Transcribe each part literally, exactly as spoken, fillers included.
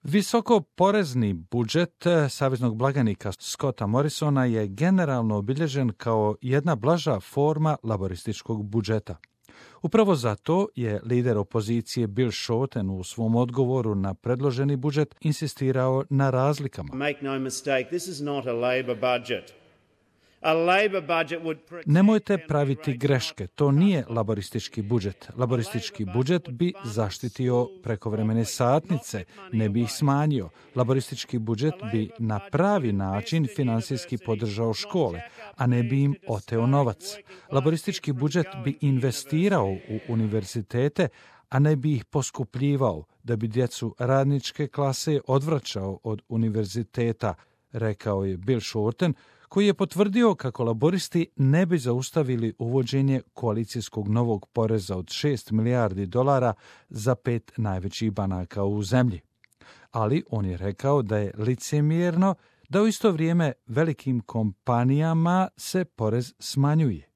Visoko porezni budžet saveznog blagajnika Scotta Morrisona je generalno obilježen kao jedna blaža forma laborističkog budžeta. Upravo zato je lider opozicije Bill Shorten u svom odgovoru na predloženi budžet insistirao na razlikama. Make no mistake, this is not a Labor budget. A Labor budget would protect... Nemojte praviti greške, to nije laboristički budžet. Laboristički budžet bi zaštitio prekovremene satnice, ne bi ih smanjio. Laboristički budžet bi na pravi način finansijski podržao škole, a ne bi im oteo novac. Laboristički budžet bi investirao u univerzitete, a ne bi ih poskupljivao, da bi djecu radničke klase odvraćao od univerziteta, rekao je Bill Shorten, koji je potvrdio kako laboristi ne bi zaustavili uvođenje koalicijskog novog poreza od šest milijardi dolara za pet najvećih banaka u zemlji. Ali on je rekao da je licemjerno da u isto vrijeme velikim kompanijama se porez smanjuje.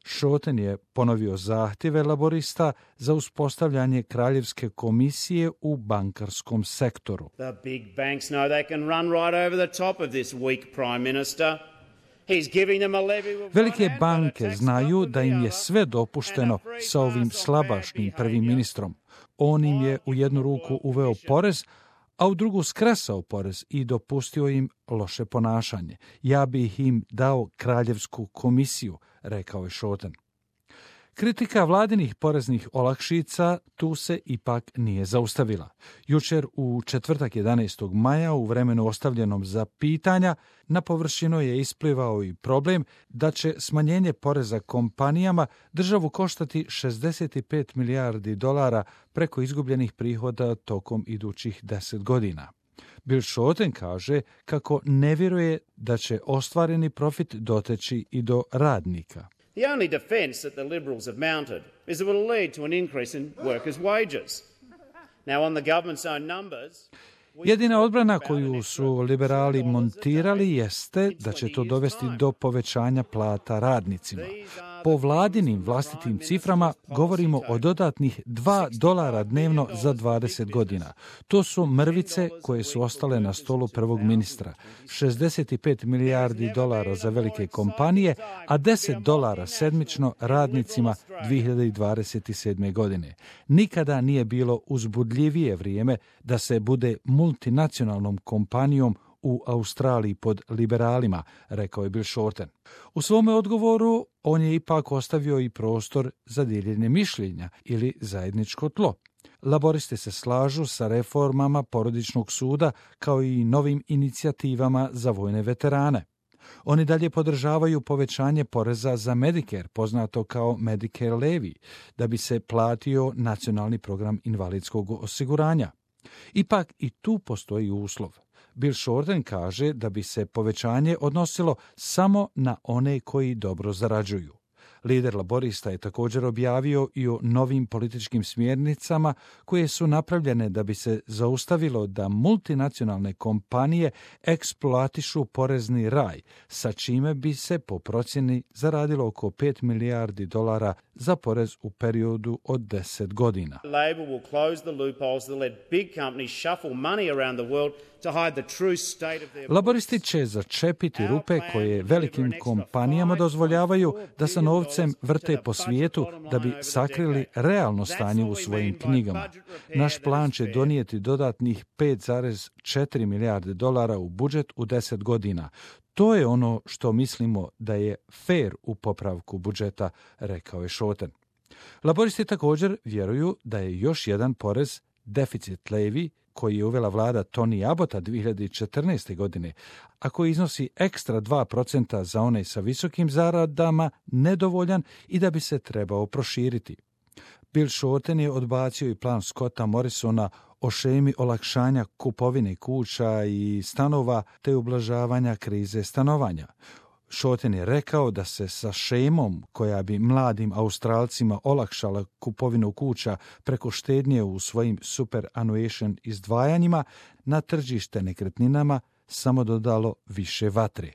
Shorten je ponovio zahtjeve laborista za uspostavljanje kraljevske komisije u bankarskom sektoru. The big banks know they can run right over the top of this weak prime minister. He's giving them a levy of Velike banke znaju da im je sve dopušteno sa ovim slabašnim prvim ministrom. On im je u jednu ruku uveo porez, a u drugu skresao porez i dopustio im loše ponašanje. Ja bih im dao kraljevsku komisiju, rekao je Shorten. Kritika vladinih poreznih olakšica tu se ipak nije zaustavila. Jučer u četvrtak jedanaestog maja u vremenu ostavljenom za pitanja na površinu je isplivao i problem da će smanjenje poreza kompanijama državu koštati šezdeset pet milijardi dolara preko izgubljenih prihoda tokom idućih deset godina. Bill Shorten kaže kako ne vjeruje da će ostvareni profit doteći i do radnika. The only defence that the Liberals have mounted is that it will lead to an increase in workers' wages. Now, on the government's own numbers... Jedina odbrana koju su liberali montirali jeste da će to dovesti do povećanja plata radnicima. Po vladinim vlastitim ciframa govorimo o dodatnih dva dolara dnevno za dvadeset godina. To su mrvice koje su ostale na stolu prvog ministra. šezdeset pet milijardi dolara za velike kompanije, a deset dolara sedmično radnicima dvije hiljade dvadeset sedme. godine. Nikada nije bilo uzbudljivije vrijeme da se bude multinacionalnom kompanijom u Australiji pod liberalima, rekao je Bill Shorten. U svome odgovoru on je ipak ostavio i prostor za dijeljenje mišljenja ili zajedničko tlo. Laboristi se slažu sa reformama porodičnog suda kao i novim inicijativama za vojne veterane. Oni dalje podržavaju povećanje poreza za Medicare, poznato kao Medicare levy, da bi se platio nacionalni program invalidskog osiguranja. Ipak i tu postoji uslov. Bill Shorten kaže da bi se povećanje odnosilo samo na one koji dobro zarađuju. Lider laborista je također objavio i o novim političkim smjernicama koje su napravljene da bi se zaustavilo da multinacionalne kompanije eksploatišu porezni raj, sa čime bi se po procjeni zaradilo oko pet milijardi dolara za porez u periodu od deset godina. Labor will close the loopholes that let big companies shuffle money around the world to hide the true state of their... Laboristi će začepiti rupe koje velikim kompanijama dozvoljavaju da sa novcem vrte po svijetu da bi sakrili realno stanje u svojim knjigama. Naš plan će donijeti dodatnih pet zarez četiri milijarde dolara u budžet u deset godina. To je ono što mislimo da je fair u popravku budžeta, rekao je Shorten. Laboristi također vjeruju da je još jedan porez, deficit levy, koji je uvela vlada Tony Abbotta dvije hiljade četrnaeste. godine, a koji iznosi ekstra dva procenta za one sa visokim zaradama, nedovoljan i da bi se trebao proširiti. Bill Shorten je odbacio i plan Scotta Morrisona o šemi olakšanja kupovine kuća i stanova te ublažavanja krize stanovanja. Shorten je rekao da se sa šemom koja bi mladim Australcima olakšala kupovinu kuća preko štednje u svojim superannuation izdvajanjima na tržište nekretninama samo dodalo više vatre.